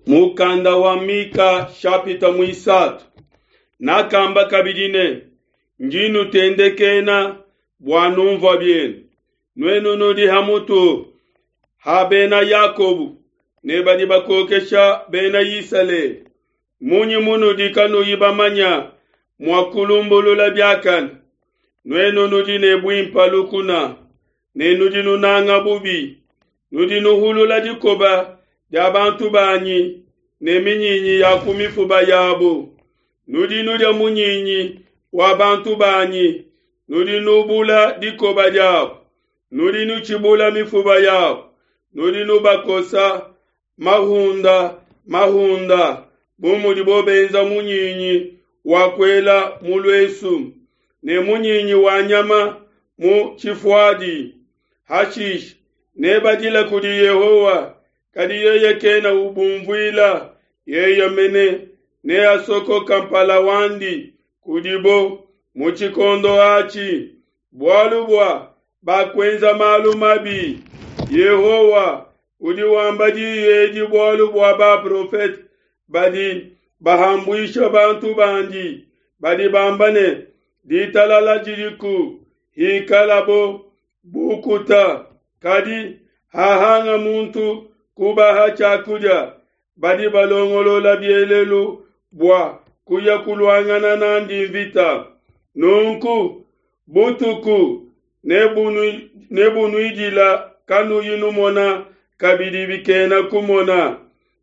Mukanda wa Mika shapita muisatu. Nakamba kabidi ne, Ndi nutendekena bua numvua bienu. Nuenu nudi ha mutu ha bena Yakobo ne badi bakokesha bena Isalele. Munyi munudi kanuyi bamanya mua kulumbulula biakane? Nuenu nudi ne buimpa lukuna ne nudi nunanga bubi. Nudi nuhulula dikoba dia bantu banyi ne minyinyi ya ku mifuba yabo. Nudi nudia munyinyi wa bantu banyi, nudi nubula dikoba diabo, nudi nutshibula mifuba yabo, nudi nubakosa mahunda mahunda bu mudibo benza munyinyi wa kuela mu luesu ne munyinyi wa nyama mu tshifuadi. Hashishe nebadile kudi Yehowa, kadi yeye kena ubumvuila, yeye mene neasokoka mpala wandi kudibo mu tshikondo atshi, bualu bua bakuenza malu mabi. Yehowa udi wamba diyi edi bualu bua baprofete badi bahambuisha bantu bandi, badi bamba ne, Ditalala didiku, hikalabo bukuta. Kadi hahanga muntu kubaha tshiakudia, badi balongolola bielelu bua kuya kuluangana n'andi mvita. Nunku butuku nebunuidila kanuyi numona kabidi bikena kumona.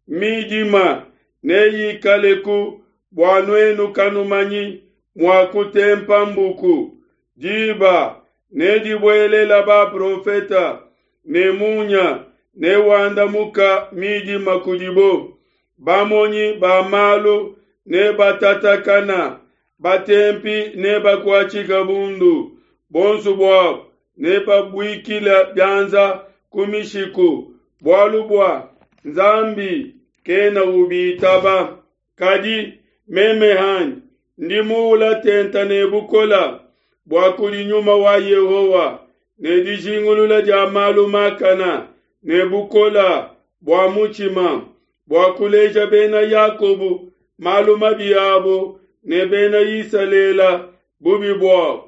Midima neyikaleku bua nuenu kanumanyi mua kutempa mbuku. Diba nedibuelela baprofeta, ne munya newandamuka midima kudibo. Bamonyi ba malu nebatatakana, batempi nebakuatshika bundu, bonso buabo nebabuikila bianza ku mishiku, bualu bua Nzambi kena ubitaba. Kadi meme hanyi ndi muula tenta ne bukola bua kudi Nyuma wa Yehowa, ne dijingulula dia malu makana, ne bukola bua mutshima, bua kuleja bena Yakobo malu mabi abo ne bena Isalele bubi buabo.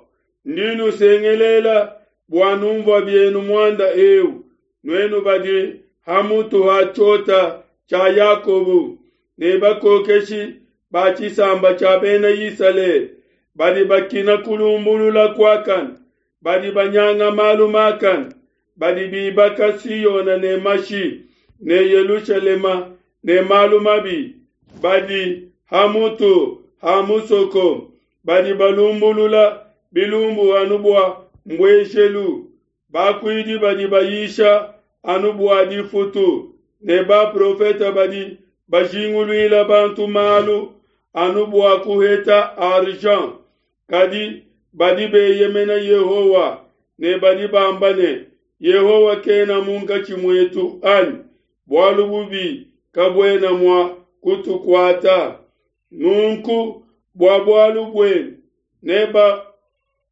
Ndi nusengelela bua numvua bienu muanda eu, nuenu badi ha mutu ha tshiota tshia Yakobo ne bakokeshi ba tshisamba tshia bena Isalele, badi bakina kulumbulula kuakane, badi banyanga malu makane, badi bibaka Siona ne mashi, ne Yelushalema ne malu mabi, badi ha mutu ha musoko, badi balumbulula bilumbu anu bua mbueshelu, bakuidi badi bayisha anu bua difutu, ne baprofete badi bajinguluila bantu malu anu bua kuheta argent. Kadi badi beyemena Yehowa ne badi bamba ne, Yehowa kena munkatshi muetu anyi? Bualu bubi kabuena mua kutukuata. Nunku bua bualu buenu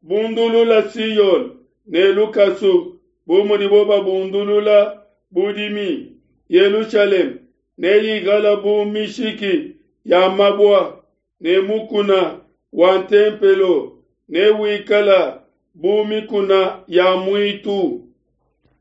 nebabundulula Siyone ne lukasu bu mudibo babundulula budimi. Yelushalema neyikala bu mishiki ya mabua, ne mukuna wa ntempelo newikala bu mikuna ya muitu.